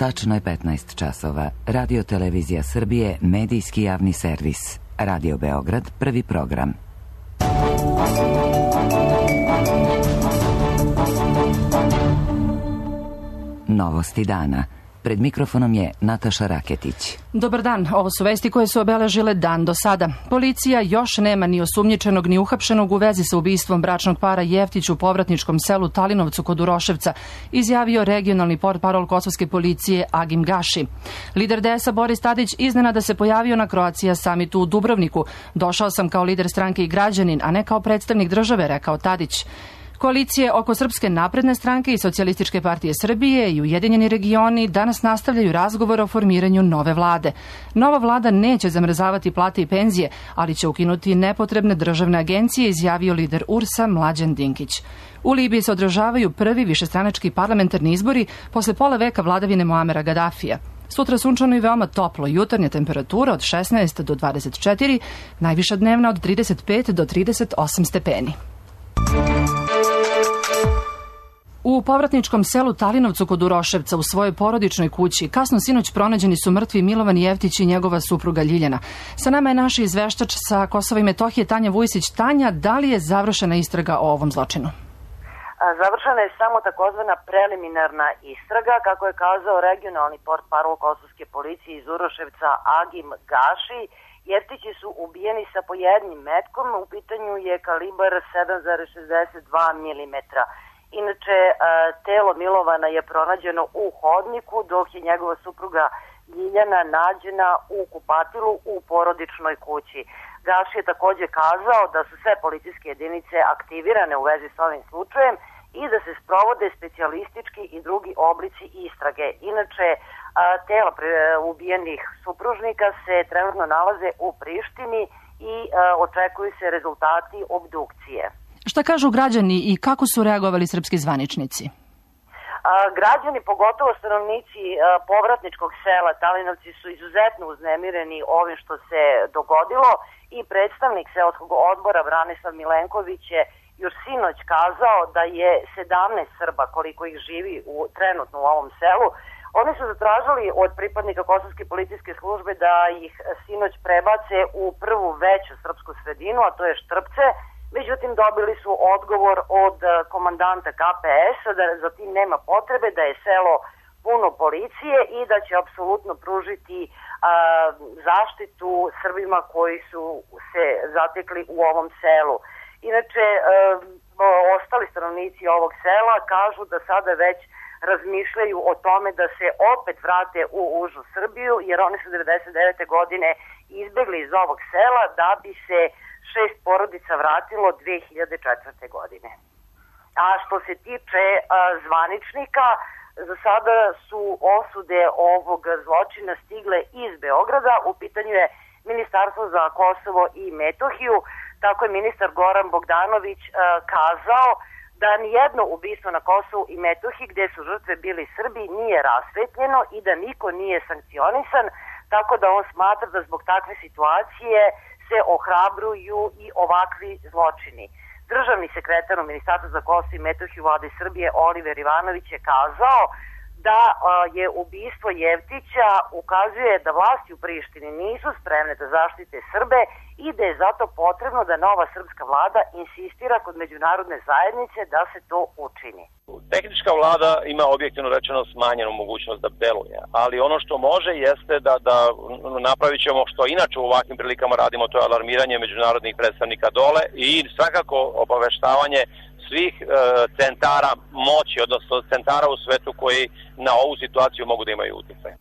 Tačno je 15 časova. Radio Televizija Srbije, medijski javni servis. Radio Beograd, prvi program. Novosti dana. Pred mikrofonom je Nataša Raketić. Dobar dan, ovo su vesti koje su obeležile dan do sada. Policija još nema ni osumnjičenog ni uhapšenog u vezi sa ubistvom bračnog para Jeftić u povratničkom selu Talinovcu kod Uroševca, izjavio regionalni portparol kosovske policije Agim Gaši. Lider DS-a Boris Tadić iznenada se pojavio na Croatia summitu u Dubrovniku. Došao sam kao lider stranke i građanin, a ne kao predstavnik države, rekao Tadić. Koalicije oko Srpske napredne stranke i Socijalističke partije Srbije i Ujedinjeni regioni danas nastavljaju razgovor o formiranju nove vlade. Nova vlada neće zamrzavati plate i penzije, ali će ukinuti nepotrebne državne agencije, izjavio lider URS-a Mlađan Dinkić. U Libiji se održavaju prvi višestranački parlamentarni izbori posle pola veka vladavine Muamera Gadafija. Sutra sunčano i veoma toplo, jutarnja temperatura od 16 do 24, najviša dnevna od 35 do 38 stepeni. U povratničkom selu Talinovcu kod Uroševca u svojoj porodičnoj kući kasno sinoć pronađeni su mrtvi Milovan Jeftić i njegova supruga Ljiljana. Sa nama je naš izveštač sa Kosova i Metohije Tanja Vujsić. Tanja, da li je završena istraga o ovom zločinu? Završena je samo takozvana preliminarna istraga, kako je kazao regionalni portparol kosovske policije iz Uroševca Agim Gaši. Jeftići su ubijeni sa po jednim metkom, u pitanju je kalibar 7,62 mm. Inače, telo Milovana je pronađeno u hodniku, dok je njegova supruga Ljiljana nađena u kupatilu u porodičnoj kući. Gaši je takođe kazao da su sve policijske jedinice aktivirane u vezi s ovim slučajem i da se sprovode specijalistički i drugi oblici istrage. Inače, tela ubijenih supružnika se trenutno nalaze u Prištini i očekuju se rezultati obdukcije. Šta kažu građani i kako su reagovali srpski zvaničnici? Građani, pogotovo stanovnici povratničkog sela Talinovci, su izuzetno uznemireni ovim što se dogodilo i predstavnik seoskog odbora Branislav Milenković je još sinoć kazao da je 17 Srba, koliko ih živi trenutno u ovom selu. Oni su zatražili od pripadnika kosovske policijske službe da ih sinoć prebace u prvu veću srpsku sredinu, a to je Štrpce. Međutim, dobili su odgovor od komandanta KPS-a da za tim nema potrebe, da je selo puno policije i da će apsolutno pružiti zaštitu Srbima koji su se zatekli u ovom selu. Inače, ostali stanovnici ovog sela kažu da sada već razmišljaju o tome da se opet vrate u užu Srbiju, jer oni su 99. godine izbegli iz ovog sela da bi se 6 porodica vratilo 2004. godine. A što se tiče zvaničnika, za sada su osude ovog zločina stigle iz Beograda. U pitanju je Ministarstvo za Kosovo i Metohiju. Tako je ministar Goran Bogdanović kazao da nijedno ubistvo na Kosovu i Metohiji gde su žrtve bili Srbi nije rasvetljeno i da niko nije sankcionisan, tako da on smatra da zbog takve situacije se ohrabruju i ovakvi zločini. Državni sekretar u Ministarstvu za Kosovo i Metohiju Vlade Srbije Oliver Ivanović je kazao da je ubistvo Jeftića ukazuje da vlasti u Prištini nisu spremne da zaštite Srbe i da je zato potrebno da nova srpska vlada insistira kod međunarodne zajednice da se to učini. Tehnička vlada ima objektivno rečeno smanjenu mogućnost da deluje, ali ono što može jeste da napravit ćemo što inače u ovakvim prilikama radimo, to je alarmiranje međunarodnih predstavnika dole i svakako obaveštavanje svih centara moći, odnosno centara u svetu koji na ovu situaciju mogu da imaju utjecaj.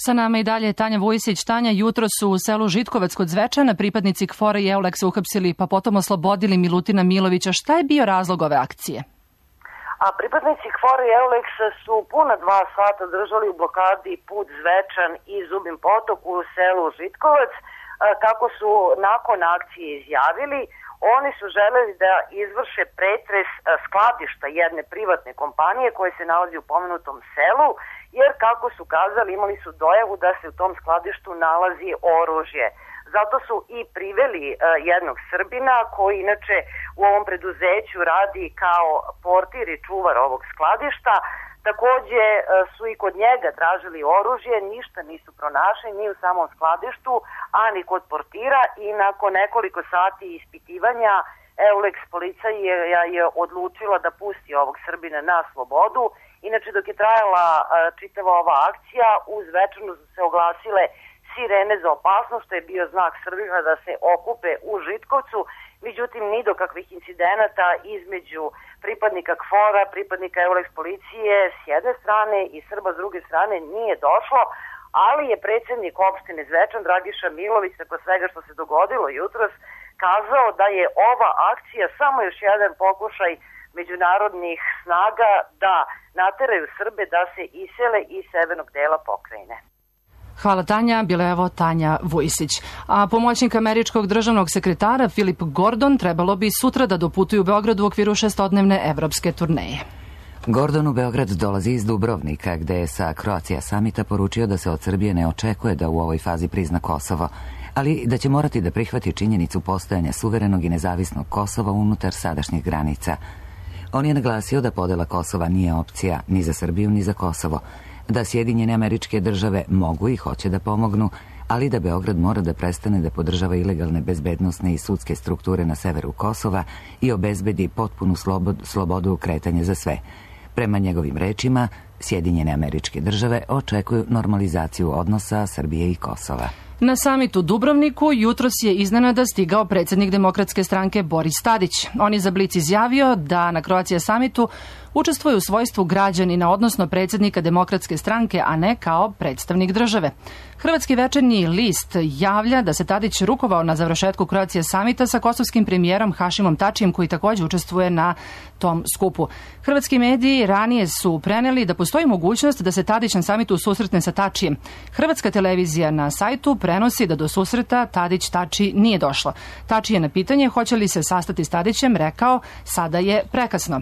Sa nama i dalje Tanja Vujsić. Tanja, jutro su u selu Žitkovac kod Zvečana pripadnici KFOR-a i EULEX-a uhapsili pa potom oslobodili Milutina Milovića. Šta je bio razlog ove akcije? A pripadnici KFOR-a i EULEX-a su puna 2 sata držali u blokadi put Zvečan i Zubin Potok u selu Žitkovac. Kako su nakon akcije izjavili, oni su želeli da izvrše pretres skladišta jedne privatne kompanije koje se nalazi u pomenutom selu, jer kako su kazali imali su dojavu da se u tom skladištu nalazi oružje. Zato su i priveli jednog Srbina koji inače u ovom preduzeću radi kao portir i čuvar ovog skladišta. Takođe su i kod njega tražili oružje, ništa nisu pronašli ni u samom skladištu, a ni kod portira i nakon nekoliko sati ispitivanja Euleks policija je odlučila da pusti ovog Srbina na slobodu. Inače, dok je trajala čitava ova akcija, uz večernu su se oglasile sirene za opasnost, što je bio znak Srbima da se okupe u Žitkovcu. Međutim, ni do kakvih incidenata između pripadnika KFOR-a, pripadnika Euleks policije s jedne strane i Srba s druge strane nije došlo, ali je predsjednik opštine Zvečan, Dragiša Milović, tako svega što se dogodilo jutros, kazao da je ova akcija samo još jedan pokušaj međunarodnih snaga da nateraju Srbe da se isele iz severnog dela pokrajine. Hvala Tanja, bila je evo Tanja Vujsić. A pomoćnik američkog državnog sekretara Filip Gordon trebalo bi sutra da doputuje u Beograd u okviru 6-dnevne evropske turneje. Gordon u Beograd dolazi iz Dubrovnika, gde je sa Croatia Summita poručio da se od Srbije ne očekuje da u ovoj fazi prizna Kosovo, ali da će morati da prihvati činjenicu postojanja suverenog i nezavisnog Kosova unutar sadašnjih granica. On je naglasio da podela Kosova nije opcija ni za Srbiju ni za Kosovo, da Sjedinjene Američke Države mogu i hoće da pomognu, ali da Beograd mora da prestane da podržava ilegalne bezbednosne i sudske strukture na severu Kosova i obezbedi potpunu slobodu kretanja za sve. Prema njegovim rečima, Sjedinjene Američke Države očekuju normalizaciju odnosa Srbije i Kosova. Na samitu u Dubrovniku jutros je iznenada stigao predsjednik Demokratske stranke Boris Tadić. On je za Blic izjavio da na Croatia Summitu učestvuje u svojstvu građanina, odnosno predsjednika Demokratske stranke, a ne kao predstavnik države. Hrvatski večernji list javlja da se Tadić rukovao na završetku Croatia Summita sa kosovskim premijerom Hašimom Tačijem, koji također učestvuje na tom skupu. Hrvatski mediji ranije su preneli da postoji mogućnost da se Tadić na samitu susretne sa Tačijem. Hrvatska televizija na sajtu prenosi da do susreta Tadić-Tači nije došlo. Tači je na pitanje hoće li se sastati s Tadićem rekao: sada je prekasno.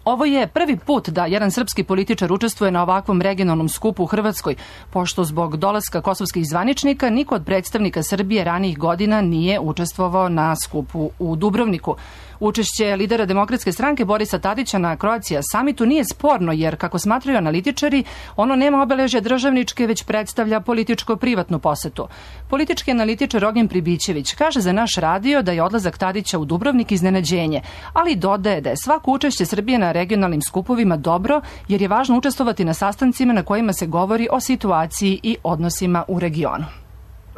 Ovo je prvi put da jedan srpski političar učestvuje na ovakvom regionalnom skupu u Hrvatskoj, pošto zbog dolaska kosovskih zvaničnika niko od predstavnika Srbije ranijih godina nije učestvovao na skupu u Dubrovniku. Učešće lidera Demokratske stranke Borisa Tadića na Croatia Summitu nije sporno, jer, kako smatraju analitičari, ono nema obeležja državničke, već predstavlja političko-privatnu posetu. Politički analitičar Ognjen Pribićević kaže za naš radio da je odlazak Tadića u Dubrovnik iznenađenje, ali dodaje da je svako učešće Srbije na regionalnim skupovima dobro, jer je važno učestvovati na sastancima na kojima se govori o situaciji i odnosima u regionu.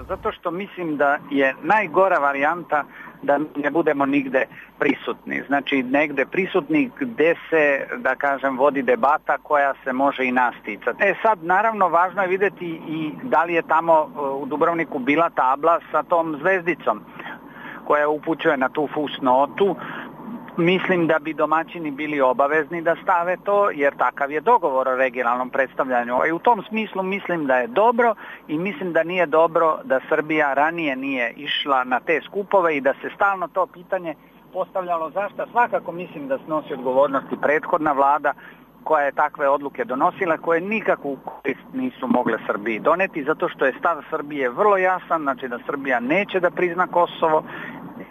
Zato što mislim da je najgora varijanta da ne budemo nigde prisutni. Znači, negde prisutni gde se, da kažem, vodi debata koja se može i nas ticati. Sad, naravno, važno je vidjeti i da li je tamo u Dubrovniku bila tabla sa tom zvezdicom koja upućuje na tu fusnotu. Mislim da bi domaćini bili obavezni da stave to, jer takav je dogovor o regionalnom predstavljanju. I u tom smislu mislim da je dobro i mislim da nije dobro da Srbija ranije nije išla na te skupove i da se stalno to pitanje postavljalo zašto. Svakako mislim da snosi odgovornosti prethodna vlada koja je takve odluke donosila, koje nikakvu korist nisu mogle Srbiji doneti, zato što je stav Srbije vrlo jasan, znači da Srbija neće da prizna Kosovo.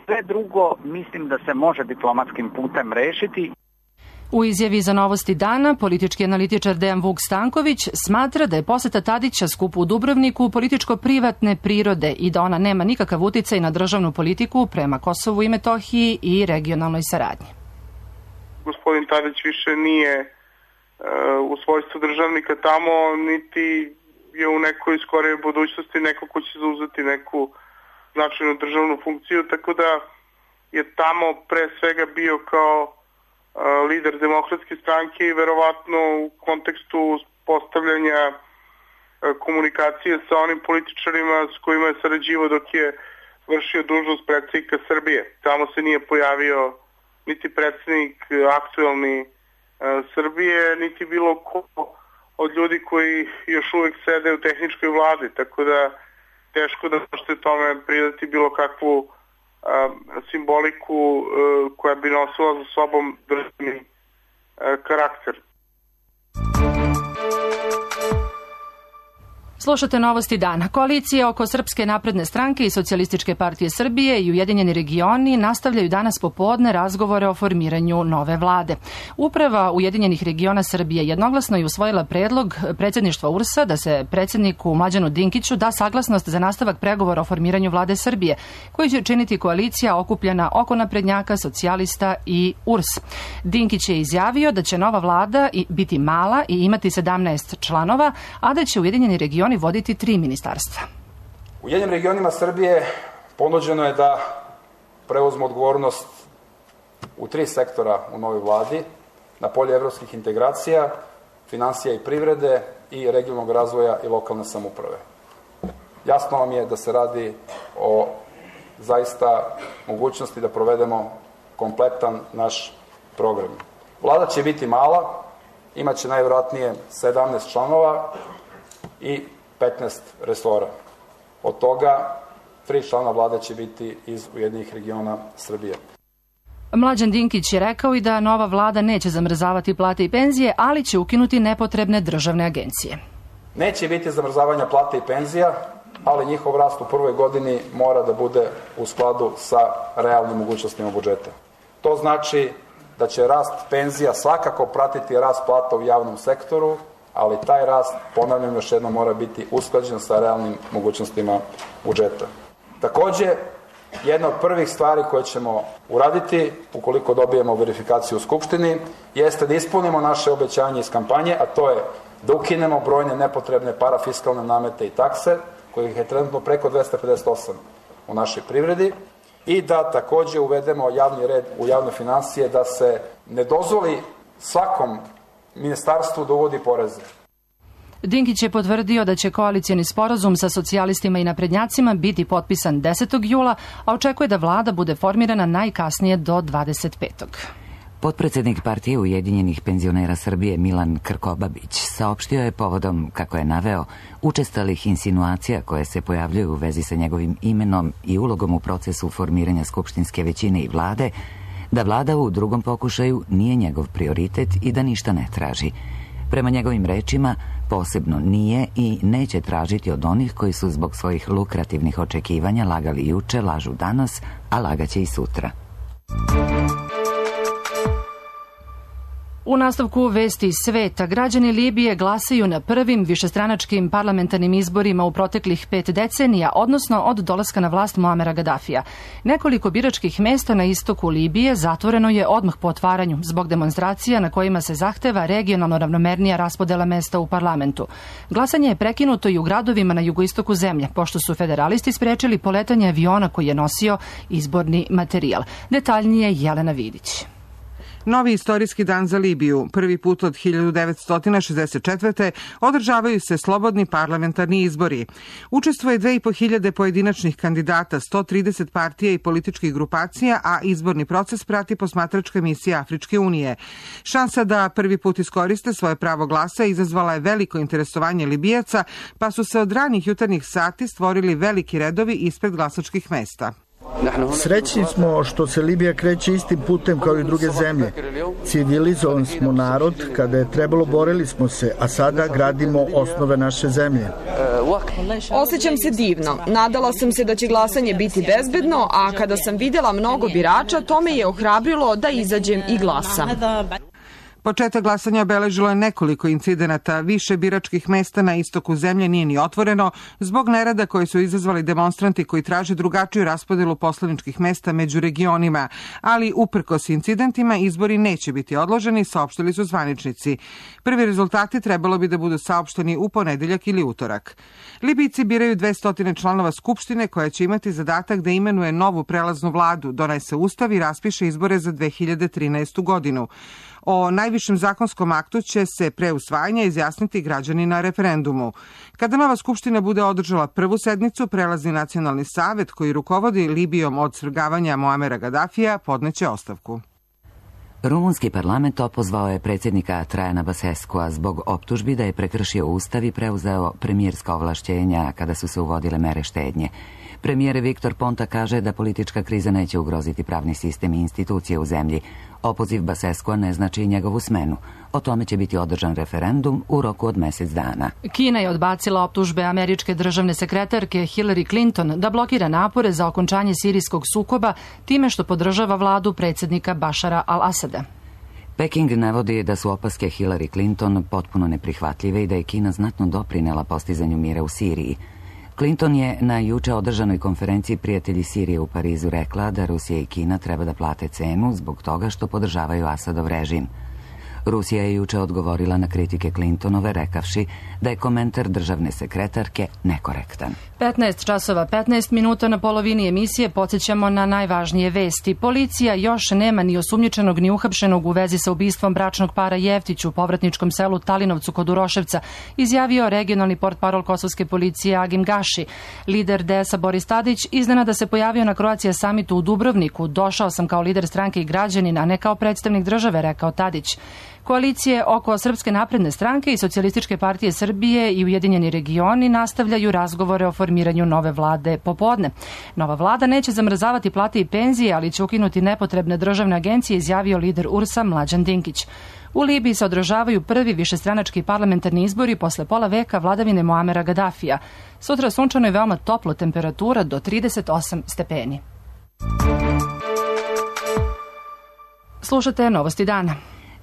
Sve drugo mislim da se može diplomatskim putem rešiti. U izjavi za Novosti dana, politički analitičar Dejan Vuk Stanković smatra da je poseta Tadića skupu u Dubrovniku političko-privatne prirode i da ona nema nikakav uticaj na državnu politiku prema Kosovu i Metohiji i regionalnoj saradnji. Gospodin Tadić više nije u svojstvu državnika tamo, niti je u nekoj skorijoj budućnosti neko ko će zauzeti neku značajnu državnu funkciju, tako da je tamo pre svega bio kao lider Demokratske stranke i verovatno u kontekstu postavljanja komunikacije sa onim političarima s kojima je sarađivao dok je vršio dužnost predsjednika Srbije. Tamo se nije pojavio niti predsjednik aktuelni Srbije, niti bilo ko od ljudi koji još uvijek sede u tehničkoj vladi, tako da teško da možete tome pridati bilo kakvu simboliku koja bi nosila za sobom državni karakter. Slušate novosti dana. Koalicija oko Srpske napredne stranke i Socijalističke partije Srbije i Ujedinjeni regioni nastavljaju danas popodne razgovore o formiranju nove vlade. Uprava Ujedinjenih regiona Srbije jednoglasno je usvojila predlog predsjedništva URS-a da se predsjedniku Mlađanu Dinkiću da saglasnost za nastavak pregovora o formiranju vlade Srbije, koji će činiti koalicija okupljena oko naprednjaka, socijalista i URS. Dinkić je izjavio da će nova vlada biti mala i imati 17 članova, a da će Ujedinjeni regioni voditi 3 ministarstva. Ujedinjenim regionima Srbije ponuđeno je da preuzmu odgovornost u 3 sektora u novoj vladi, na polju evropskih integracija, finansija i privrede i regionalnog razvoja i lokalne samouprave. Jasno vam je da se radi o zaista mogućnosti da provedemo kompletan naš program. Vlada će biti mala, imaće najvjerojatnije 17 članova i 15 resora. Od toga 3 člana vlade će biti iz Ujedinjenih regiona Srbije. Mlađan Dinkić je rekao i da nova vlada neće zamrzavati plate i penzije, ali će ukinuti nepotrebne državne agencije. Neće biti zamrzavanja plata i penzija, ali njihov rast u prvoj godini mora da bude u skladu sa realnim mogućnostima budžeta. To znači da će rast penzija svakako pratiti rast plata u javnom sektoru, ali taj rast, ponavljam još jednom, mora biti usklađen sa realnim mogućnostima budžeta. Takođe, jedna od prvih stvari koje ćemo uraditi, ukoliko dobijemo verifikaciju u Skupštini, jeste da ispunimo naše obećanje iz kampanje, a to je da ukinemo brojne nepotrebne parafiskalne namete i takse, kojih je trenutno preko 258 u našoj privredi, i da takođe uvedemo javni red u javne finansije, da se ne dozvoli svakom ministarstvu da uvodi poreze. Dinkić je potvrdio da će koalicijni sporazum sa socijalistima i naprednjacima biti potpisan 10. jula, a očekuje da vlada bude formirana najkasnije do 25. Potpredsednik partije Ujedinjenih penzionera Srbije Milan Krkobabić saopštio je povodom, kako je naveo, učestalih insinuacija koje se pojavljuju u vezi sa njegovim imenom i ulogom u procesu formiranja skupštinske većine i vlade, da vlada u drugom pokušaju nije njegov prioritet i da ništa ne traži. Prema njegovim rečima, posebno nije i neće tražiti od onih koji su zbog svojih lukrativnih očekivanja lagali juče, lažu danas, a lagaće i sutra. U nastavku vesti iz sveta, građani Libije glasaju na prvim višestranačkim parlamentarnim izborima u proteklih 5 decenija, odnosno od dolaska na vlast Muamera Gadafija. Nekoliko biračkih mesta na istoku Libije zatvoreno je odmah po otvaranju zbog demonstracija na kojima se zahteva regionalno ravnomernija raspodela mesta u parlamentu. Glasanje je prekinuto i u gradovima na jugoistoku zemlje, pošto su federalisti sprečili poletanje aviona koji je nosio izborni materijal. Detaljnije Jelena Vidić. Novi istorijski dan za Libiju. Prvi put od 1964. održavaju se slobodni parlamentarni izbori. Učestvuje 2500 pojedinačnih kandidata, 130 partija i političkih grupacija, a izborni proces prati posmatračka misija Afričke unije. Šansa da prvi put iskoriste svoje pravo glasa izazvala je veliko interesovanje Libijaca, pa su se od ranih jutarnjih sati stvorili veliki redovi ispred glasačkih mesta. Srećni smo što se Libija kreće istim putem kao i druge zemlje. Civilizovan smo narod, kada je trebalo borili smo se, a sada gradimo osnove naše zemlje. Osjećam se divno. Nadala sam se da će glasanje biti bezbedno, a kada sam videla mnogo birača, to me je ohrabrilo da izađem i glasam. Početak glasanja obeležilo je nekoliko incidenata. Više biračkih mesta na istoku zemlje nije ni otvoreno zbog nerada koji su izazvali demonstranti koji traže drugačiju raspodelu poslaničkih mesta među regionima. Ali uprkos incidentima izbori neće biti odloženi, saopštili su zvaničnici. Prvi rezultati trebalo bi da budu saopšteni u ponedeljak ili utorak. Libijci biraju 200 članova Skupštine koja će imati zadatak da imenuje novu prelaznu vladu, donese ustav i raspiše izbore za 2013. godinu. O najvišem zakonskom aktu će se pre usvajanja izjasniti građani na referendumu. Kada nova skupština bude održala prvu sednicu, prelazni nacionalni savet koji rukovodi Libijom od svrgavanja Muamera Gadafija podneće ostavku. Rumunski parlament opozvao je predsjednika Trajana Baseskua zbog optužbi da je prekršio ustav i preuzeo premijerska ovlašćenja kada su se uvodile mere štednje. Premijer Viktor Ponta kaže da politička kriza neće ugroziti pravni sistem i institucije u zemlji. Opoziv Baseskoa ne znači i njegovu smenu. O tome će biti održan referendum u roku od mjesec dana. Kina je odbacila optužbe američke državne sekretarke Hillary Clinton da blokira napore za okončanje sirijskog sukoba time što podržava vladu predsjednika Bašara al-Asada. Peking navodi da su opaske Hillary Clinton potpuno neprihvatljive i da je Kina znatno doprinela postizanju mira u Siriji. Clinton je na juče održanoj konferenciji Prijatelji Sirije u Parizu rekla da Rusija i Kina treba da plate cenu zbog toga što podržavaju Asadov režim. Rusija je juče odgovorila na kritike Clintonove rekavši da je komentar državne sekretarke nekorektan. 15 časova 15 minuta na polovini emisije podsjećamo na najvažnije vesti. Policija još nema ni osumnjičenog ni uhapšenog u vezi sa ubistvom bračnog para Jeftić u povratničkom selu Talinovcu kod Uroševca, izjavio regionalni portparol kosovske policije Agim Gaši. Lider DS-a Boris Tadić iznenada se pojavio na Croatia summitu u Dubrovniku. Došao sam kao lider stranke i građanin, a ne kao predstavnik države, rekao Tadić. Koalicije oko Srpske napredne stranke i Socijalističke partije Srbije i Ujedinjeni regioni nastavljaju razgovore o formiranju nove vlade popodne. Nova vlada neće zamrzavati plate i penzije, ali će ukinuti nepotrebne državne agencije, izjavio lider URS-a Mlađan Dinkić. U Libiji se održavaju prvi višestranački parlamentarni izbori posle pola veka vladavine Muamera Gaddafija. Sutra sunčano je veoma toplo, temperatura do 38 stepeni. Slušate Novosti dana.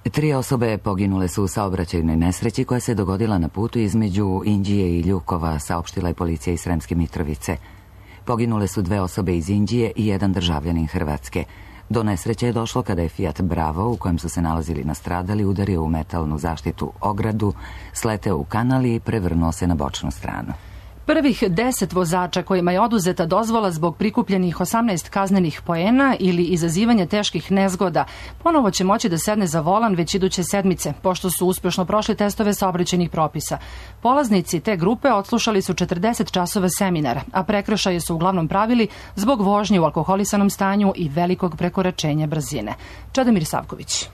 3 osobe poginule su u saobraćajnoj nesreći koja se dogodila na putu između Inđije i Ljukova, saopštila je policija iz Sremske Mitrovice. Poginule su 2 osobe iz Inđije i 1 državljanin Hrvatske. Do nesreće je došlo kada je Fiat Bravo, u kojem su se nalazili nastradali, udario u metalnu zaštitu ogradu, sleteo u kanal i prevrnuo se na bočnu stranu. Prvih 10 vozača kojima je oduzeta dozvola zbog prikupljenih 18 kaznenih poena ili izazivanja teških nezgoda ponovo će moći da sedne za volan već iduće sedmice, pošto su uspješno prošli testove saobraćajnih propisa. Polaznici te grupe odslušali su 40 časova seminara, a prekršaje su uglavnom pravili zbog vožnje u alkoholisanom stanju i velikog prekoračenja brzine. Čedomir Savković.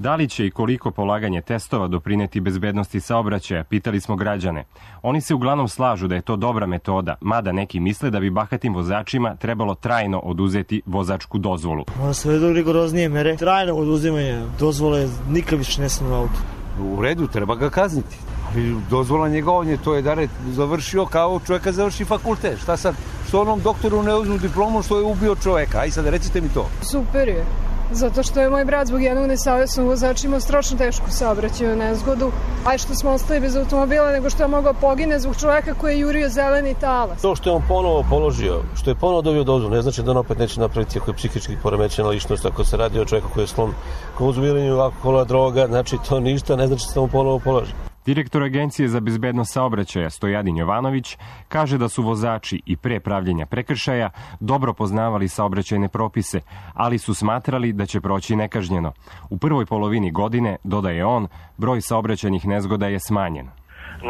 Da li će i koliko polaganje testova doprineti bezbednosti saobraćaja, pitali smo građane. Oni se uglavnom slažu da je to dobra metoda, mada neki misle da bi bahatim vozačima trebalo trajno oduzeti vozačku dozvolu. Mora se vedu rigoroznije mere. Trajno oduzimanje dozvole nikad više ne smije na auto. U redu, treba ga kazniti. Ali dozvola njegovanje, to je da je završio kao čovjeka završi fakultet. Šta sad? Što onom doktoru ne uzmu diplomu što je ubio čovjeka? Aj sad recite mi to. Super je. Zato što je moj brat zbog jednog nesavesnog vozača imao strašno tešku saobraćajnu nezgodu. Aj što smo ostali bez automobila, nego što je mogao pogine zbog čovjeka koji je jurio zeleni talas. To što je on ponovo položio, što je ponovo dobio dozvolu, ne znači da on opet neće napraviti ako je psihički poremećena ličnost, ako se radi o čovjeku koji je sklon konzumiranju alkohola, droga, znači to ništa, ne znači da se mu ponovo položi. Direktor Agencije za bezbednost saobraćaja Stojadin Jovanović kaže da su vozači i pre pravljenja prekršaja dobro poznavali saobraćajne propise, ali su smatrali da će proći nekažnjeno. U prvoj polovini godine, dodaje on, broj saobraćajnih nezgoda je smanjen.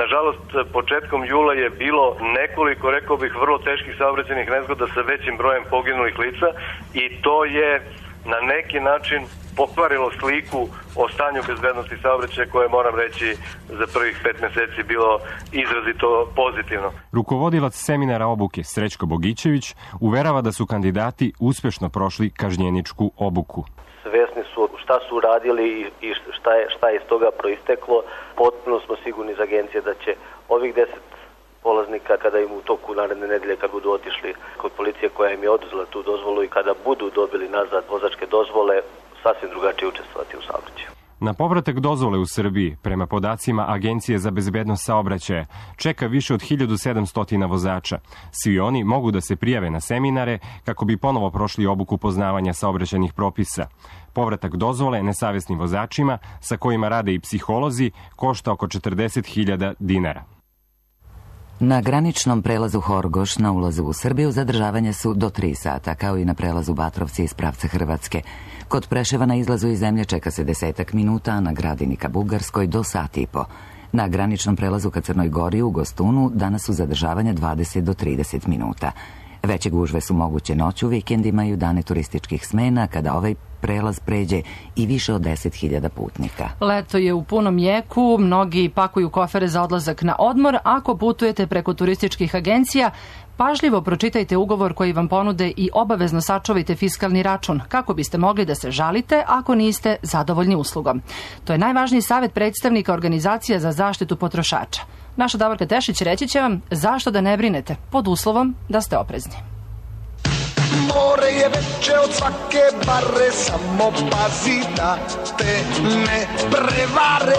Nažalost, početkom jula je bilo nekoliko, rekao bih, vrlo teških saobraćajnih nezgoda sa većim brojem poginulih lica i to je na neki način pokvarilo sliku o stanju bezbednosti saobraćaja koje, moram reći, za prvih 5 mjeseci bilo izrazito pozitivno. Rukovodilac seminara obuke Srećko Bogićević uverava da su kandidati uspješno prošli kažnjeničku obuku. Svesni su šta su radili i šta je iz toga proisteklo. Potpuno smo sigurni iz agencije da će ovih 10 polaznika, kada im u toku naredne nedelje, kad budu otišli kod policije koja im je oduzela tu dozvolu i kada budu dobili nazad vozačke dozvole, sasvim drugačije učestvovati u saobraćaju. Na povratak dozvole u Srbiji, prema podacima Agencije za bezbednost saobraćaja, čeka više od 1700 vozača. Svi oni mogu da se prijave na seminare kako bi ponovo prošli obuku poznavanja saobraćajnih propisa. Povratak dozvole nesavesnim vozačima, sa kojima rade i psiholozi, košta oko 40.000 dinara. Na graničnom prelazu Horgoš na ulazu u Srbiju zadržavanje su do 3 sata, kao i na prelazu Batrovci iz pravca Hrvatske. Kod Preševa na izlazu iz zemlje čeka se 10 minuta, a na Gradini ka Bugarskoj do 1,5 sata. Na graničnom prelazu ka Crnoj Gori u Gostunu danas su zadržavanja 20 do 30 minuta. Veće gužve su moguće noću, vikendima i u dane turističkih smena, kada ovaj prelaz pređe i više od 10.000 putnika. Leto je u punom jeku, mnogi pakuju kofere za odlazak na odmor. Ako putujete preko turističkih agencija, pažljivo pročitajte ugovor koji vam ponude i obavezno sačuvajte fiskalni račun kako biste mogli da se žalite ako niste zadovoljni uslugom. To je najvažniji savjet predstavnika organizacija za zaštitu potrošača. Naša Davorka Tešić reći će vam zašto da ne brinete, pod uslovom da ste oprezni. More je veće od svake bare, samo pazi da te ne prevare.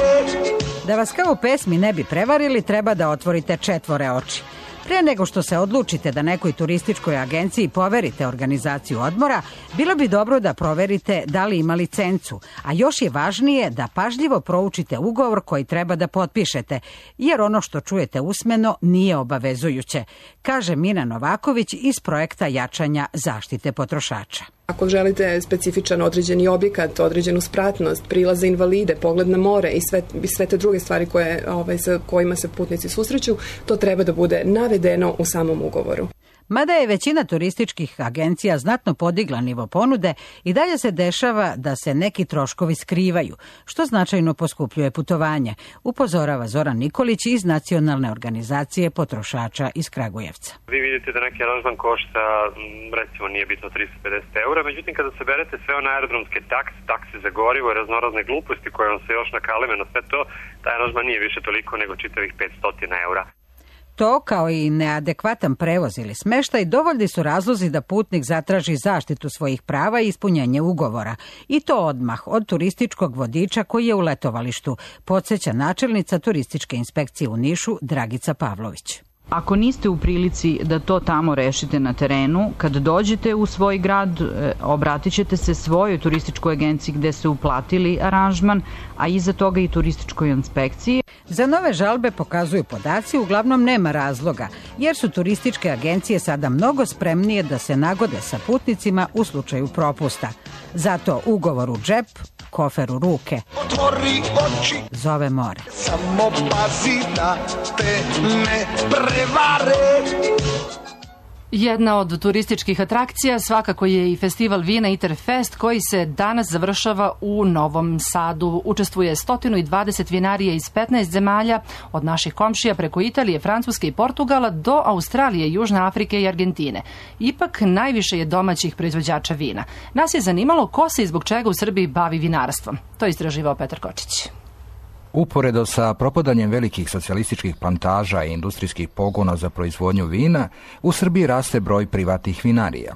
Da vas kao u pesmi ne bi prevarili, treba da otvorite četvore oči. Pre nego što se odlučite da nekoj turističkoj agenciji poverite organizaciju odmora, bilo bi dobro da proverite da li ima licencu, a još je važnije da pažljivo proučite ugovor koji treba da potpišete, jer ono što čujete usmeno nije obavezujuće, kaže Mina Novaković iz projekta jačanja zaštite potrošača. Ako želite specifičan određeni objekat, određenu spratnost, prilaz za invalide, pogled na more i sve te druge stvari sa kojima se putnici susreću, to treba da bude navedeno u samom ugovoru. Mada je većina turističkih agencija znatno podigla nivo ponude, i dalje se dešava da se neki troškovi skrivaju, što značajno poskupljuje putovanje, upozorava Zoran Nikolić iz Nacionalne organizacije potrošača iz Kragujevca. Vi vidite da neki aranžman košta, recimo nije bitno 350 eura, međutim kada saberete sve one aerodromske takse za gorivo i raznorazne gluposti koje vam se još nakaleme na sve to, taj aranžman nije više toliko nego čitavih 500 eura. To, kao i neadekvatan prevoz ili smeštaj, dovoljni su razlozi da putnik zatraži zaštitu svojih prava i ispunjenje ugovora. I to odmah od turističkog vodiča koji je u letovalištu, podsjeća načelnica turističke inspekcije u Nišu Dragica Pavlović. Ako niste u prilici da to tamo rešite na terenu, kad dođete u svoj grad, obratit ćete se svojoj turističkoj agenciji gde ste uplatili aranžman, a iza toga i turističkoj inspekciji. Za nove žalbe, pokazuju podaci, uglavnom nema razloga, jer su turističke agencije sada mnogo spremnije da se nagode sa putnicima u slučaju propusta. Zato ugovor u džep, kofer u ruke. Otvori oči, zove more. Samo pazi da te ne prevare. Jedna od turističkih atrakcija svakako je i festival vina Interfest koji se danas završava u Novom Sadu. Učestvuje 120 vinarija iz 15 zemalja, od naših komšija preko Italije, Francuske i Portugala do Australije, Južne Afrike i Argentine. Ipak najviše je domaćih proizvođača vina. Nas je zanimalo ko se i zbog čega u Srbiji bavi vinarstvom. To je istraživao Petar Kočić. Uporedo sa propadanjem velikih socijalističkih plantaža i industrijskih pogona za proizvodnju vina, u Srbiji raste broj privatnih vinarija.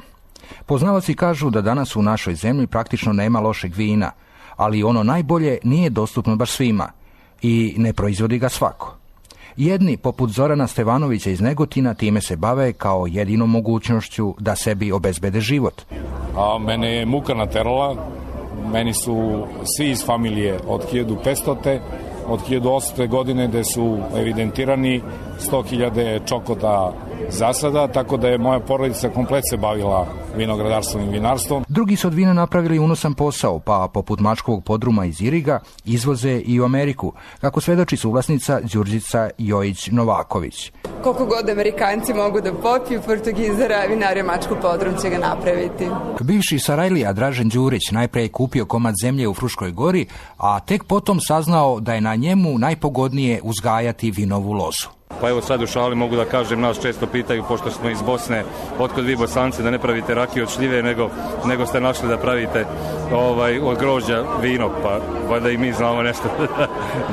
Poznavaci kažu da danas u našoj zemlji praktično nema lošeg vina, ali ono najbolje nije dostupno baš svima i ne proizvodi ga svako. Jedni, poput Zorana Stevanovića iz Negotina, time se bave kao jedinom mogućnošću da sebi obezbede život. A mene je muka naterala. Meni su svi iz familije od 1500. od 1800. godine gde su evidentirani 100.000 čokota zasada, tako da je moja porodica komplet se bavila vinogradarstvom i vinarstvom. Drugi su od vina napravili unosan posao, pa poput mačkovog podruma iz Iriga izvoze i u Ameriku, kako svedoči suvlasnica Đurđica Jojić-Novaković. Koliko god Amerikanci mogu da popiju, Portugizara, vinarija mačku podrum će ga napraviti. Bivši Sarajlija Dražen Đurić najpre je kupio komad zemlje u Fruškoj gori, a tek potom saznao da je na njemu najpogodnije uzgajati vinovu lozu. Pa evo sad u šali mogu da kažem, nas često pitaju, pošto smo iz Bosne, otkud vi Bosanci da ne pravite rakiju od šljive, nego ste našli da pravite od grožđa vino, pa valjda i mi znamo nešto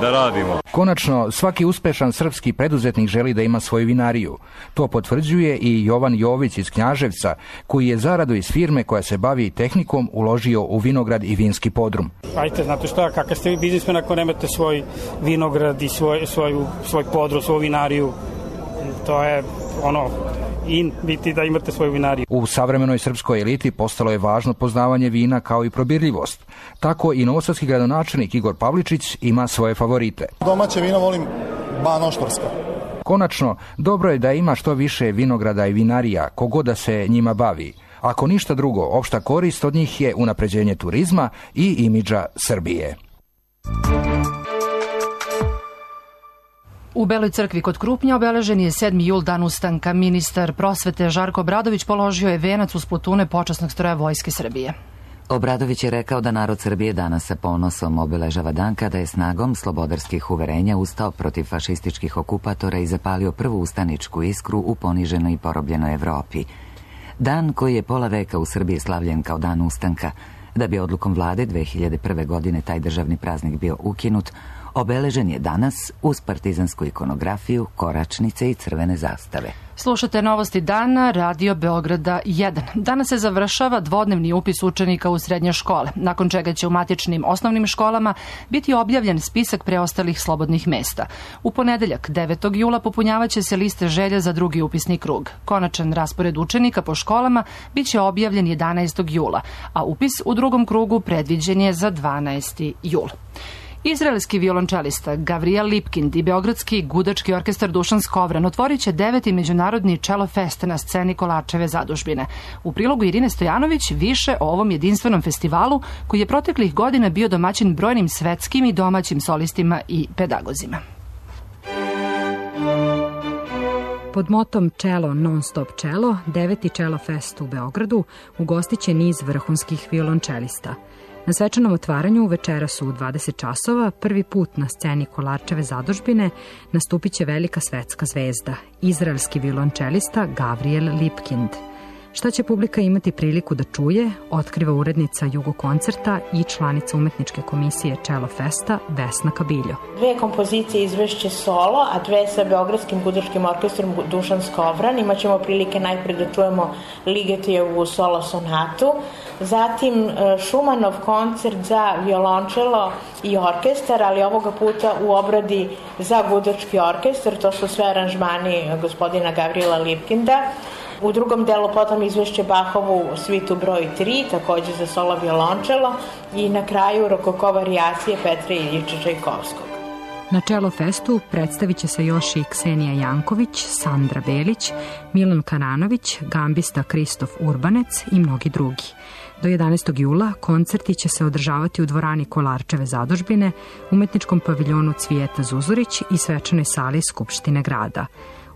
da radimo. Konačno, svaki uspešan srpski preduzetnik želi da ima svoju vinariju. To potvrđuje i Jovan Jović iz Knjaževca, koji je zaradu iz firme koja se bavi tehnikom uložio u vinograd i vinski podrum. Ajte, znate šta, kakav ste vi biznismen ako nemate svoj vinograd i svoj podrum, svoju vinariju, to je biti da imate svoju vinariju. U savremenoj srpskoj eliti postalo je važno poznavanje vina kao i probirljivost. Tako i novosadski gradonačelnik Igor Pavličić ima svoje favorite. Domaće vino volim banoštorska. Konačno, dobro je da ima što više vinograda i vinarija, kogod da se njima bavi. Ako ništa drugo, opšta korist od njih je unapređenje turizma i imidža Srbije. U Beloj crkvi kod Krupnja obeležen je 7. jul, dan ustanka. Ministar prosvete Žarko Obradović položio je venac uz plotune počasnog stroja Vojske Srbije. Obradović je rekao da narod Srbije danas sa ponosom obeležava dan kada je snagom slobodarskih uverenja ustao protiv fašističkih okupatora i zapalio prvu ustaničku iskru u poniženoj i porobljenoj Evropi. Dan koji je pola veka u Srbiji slavljen kao dan ustanka, da bi odlukom vlade 2001. godine taj državni praznik bio ukinut, obeležen je danas uz partizansku ikonografiju, koračnice i crvene zastave. Slušate novosti dana, Radio Beograda 1. Danas se završava dvodnevni upis učenika u srednje škole, nakon čega će u matičnim osnovnim školama biti objavljen spisak preostalih slobodnih mesta. U ponedeljak, 9. jula, popunjavaće se liste želja za drugi upisni krug. Konačan raspored učenika po školama biće objavljen 11. jula, a upis u drugom krugu predviđen je za 12. jul. Izraelski violončelista Gavriel Lipkind i Beogradski gudački orkestar Dušan Skovran otvorit će 9. međunarodni Cello Fest na sceni Kolarčeve zadužbine. U prilogu Irine Stojanović više o ovom jedinstvenom festivalu koji je proteklih godina bio domaćin brojnim svetskim i domaćim solistima i pedagozima. Pod motom Cello non-stop cello, 9. Cello Fest u Beogradu ugostiće niz vrhunskih violončelista. Na svečanom otvaranju večeras u 20 časova prvi put na sceni Kolarčeve zadužbine nastupit će velika svetska zvezda, izraelski violončelista Gavriel Lipkind. Šta će publika imati priliku da čuje, otkriva urednica Jugo koncerta i članica umetničke komisije Cello Festa Vesna Kabiljo. 2 kompozicije izvešće solo, a 2 sa Beogradskim gudačkim orkestrom Dušan Skovran. Imaćemo prilike najpre da čujemo Ligetijevu solo sonatu, zatim Šumanov koncert za violončelo i orkestar, ali ovoga puta u obradi za gudački orkestar. To su sve aranžmani gospodina Gavriela Lipkinda. U drugom delu potom izvešće Bahovu svitu broj 3, takođe za solo violončelo, i na kraju rokoko varijacije Petra Iljiča Čajkovskog. Na Cello Festu predstavit će se još i Ksenija Janković, Sandra Belić, Milan Kananović, gambista Kristof Urbanec i mnogi drugi. Do 11. jula koncerti će se održavati u dvorani Kolarčeve zadužbine, umetničkom paviljonu Cvijeta Zuzurić i svečanoj sali Skupštine grada.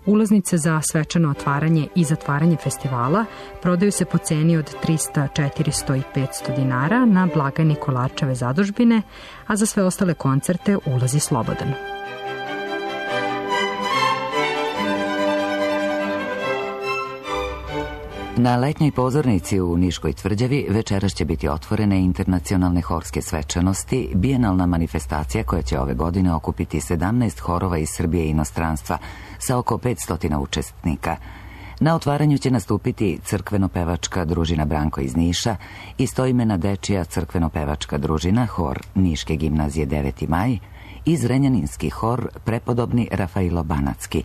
Ulaznice za svečano otvaranje i zatvaranje festivala prodaju se po ceni od 300, 400 i 500 dinara na blagajni Kolarčeve zadužbine, a za sve ostale koncerte ulaz je slobodan. Na letnjoj pozornici u Niškoj tvrđavi večeras će biti otvorene internacionalne horske svečanosti, bijenalna manifestacija koja će ove godine okupiti 17 horova iz Srbije i inostranstva sa oko 500 učesnika. Na otvaranju će nastupiti crkveno-pevačka družina Branko iz Niša, istoimena dečija crkveno-pevačka družina, hor Niške gimnazije 9. maj i zrenjaninski hor prepodobni Rafailo Banatski.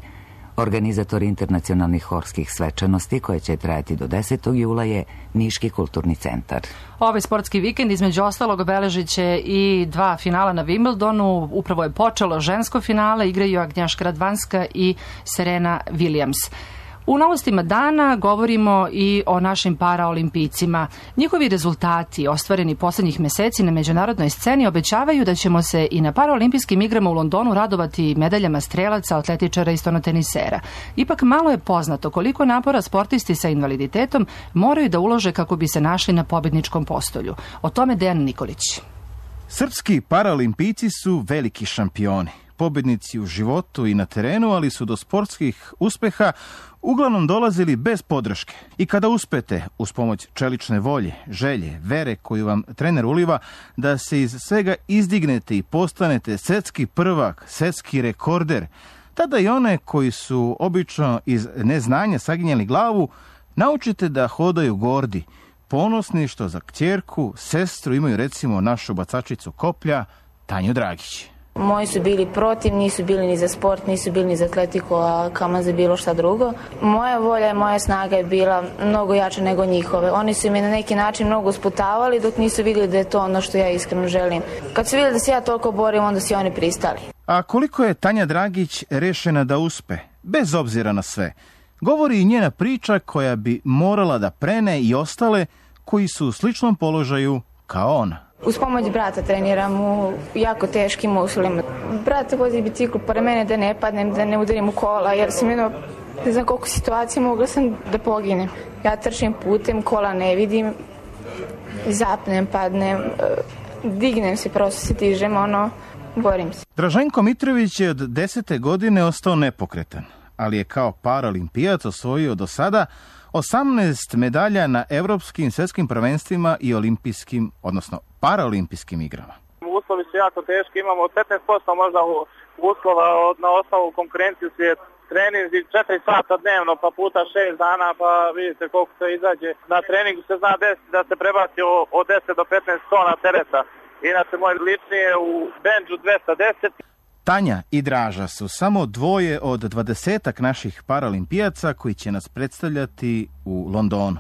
Organizator internacionalnih horskih svečanosti koje će trajati do 10. jula je Niški kulturni centar. Ovaj sportski vikend između ostalog obeležit će i 2 finala na Wimbledonu. Upravo je počelo žensko finale, igraju Agnjaška Radvanska i Serena Williams. U novostima dana govorimo i o našim paraolimpijcima. Njihovi rezultati, ostvareni poslednjih meseci na međunarodnoj sceni, obećavaju da ćemo se i na paraolimpijskim igrama u Londonu radovati medaljama strelaca, atletičara i stonotenisera. Ipak malo je poznato koliko napora sportisti sa invaliditetom moraju da ulože kako bi se našli na pobedničkom postolju. O tome Dejan Nikolić. Srpski paraolimpijci su veliki šampioni. Pobednici u životu i na terenu, ali su do sportskih uspeha uglavnom dolazili bez podrške. I kada uspete, uz pomoć čelične volje, želje, vere koju vam trener uliva, da se iz svega izdignete i postanete svetski prvak, svetski rekorder, tada i one koji su obično iz neznanja saginjali glavu, naučite da hodaju gordi, ponosni što za kćerku, sestru imaju recimo našu bacačicu koplja, Tanju Dragić. Moji su bili protiv, nisu bili ni za sport, nisu bili ni za atletiku, a kamo za bilo šta drugo. Moja volja i moja snaga je bila mnogo jača nego njihove. Oni su mi na neki način mnogo usputavali dok nisu vidjeli da je to ono što ja iskreno želim. Kad su vidjeli da se ja toliko borim, onda su oni pristali. A koliko je Tanja Dragić rešena da uspe, bez obzira na sve, govori i njena priča koja bi morala da prene i ostale koji su u sličnom položaju kao ona. Uz pomoć brata treniram u jako teškim uslovima. Brat vozi bicikl pored mene da ne padnem, da ne udarim u kola, jer sam jedno, ne znam koliko situacija mogla sam da poginem. Ja trčim putem, kola ne vidim, zapnem, padnem, dignem se, prosto se dižem, borim se. Draženko Mitrović je od 10. godine ostao nepokretan, ali je kao paralimpijac osvojio do sada 18 medalja na evropskim, svjetskim prvenstvima i olimpijskim, odnosno paraolimpijskim igrama. Uslovi su jako teški, imamo 15% možda uslova na osnovu konkurenciju svijetu. Treninzi 4 sata dnevno, pa puta 6 dana, pa vidite koliko se izađe. Na treningu se zna desiti da se prebaci od 10 do 15 tona tereta. Inače, moj lični je u benđu 210. Tanja i Draža su samo dvoje od 20-ak naših paralimpijaca koji će nas predstavljati u Londonu.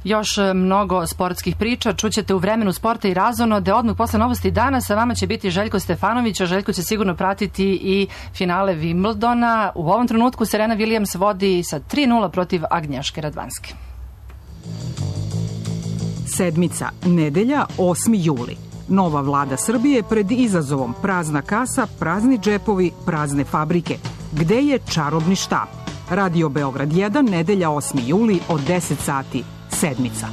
Još mnogo sportskih priča čućete u vremenu sporta i razonode. Odmah posle novosti dana sa vama će biti Željko Stefanović, a Željko će sigurno pratiti i finale Wimbledona. U ovom trenutku Serena Williams vodi sa 3:0 protiv Agnješke Radvanske. Sedmica, nedelja, 8. juli. Nova vlada Srbije pred izazovom prazna kasa, prazni džepovi, prazne fabrike. Gde je čarobni štap? Radio Beograd 1, nedelja 8. juli od 10 sati. Sedmica.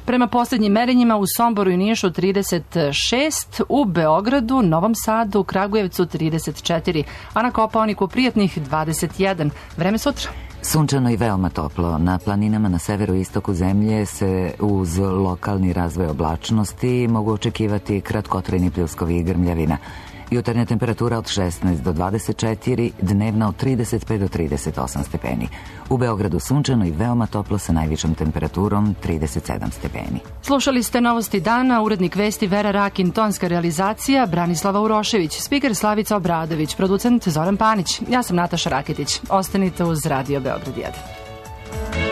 Prema posljednjim merenjima u Somboru i Nišu 36, u Beogradu, Novom Sadu, Kragujevcu 34, a na Kopaoniku Prijatnih 21. Vreme sutra. Sunčano i veoma toplo. Na planinama na severu i istoku zemlje se uz lokalni razvoj oblačnosti mogu očekivati kratkotrajni pljuskovi i grmljavina. Jutarnja temperatura od 16 do 24, dnevna od 35 do 38 stepeni. U Beogradu sunčano i veoma toplo sa najvišom temperaturom 37 stepeni. Slušali ste novosti dana, urednik vesti Vera Rakin, tonska realizacija Branislava Urošević, spiker Slavica Obradović, producent Zoran Panić. Ja sam Nataša Raketić. Ostanite uz Radio Beograd 1.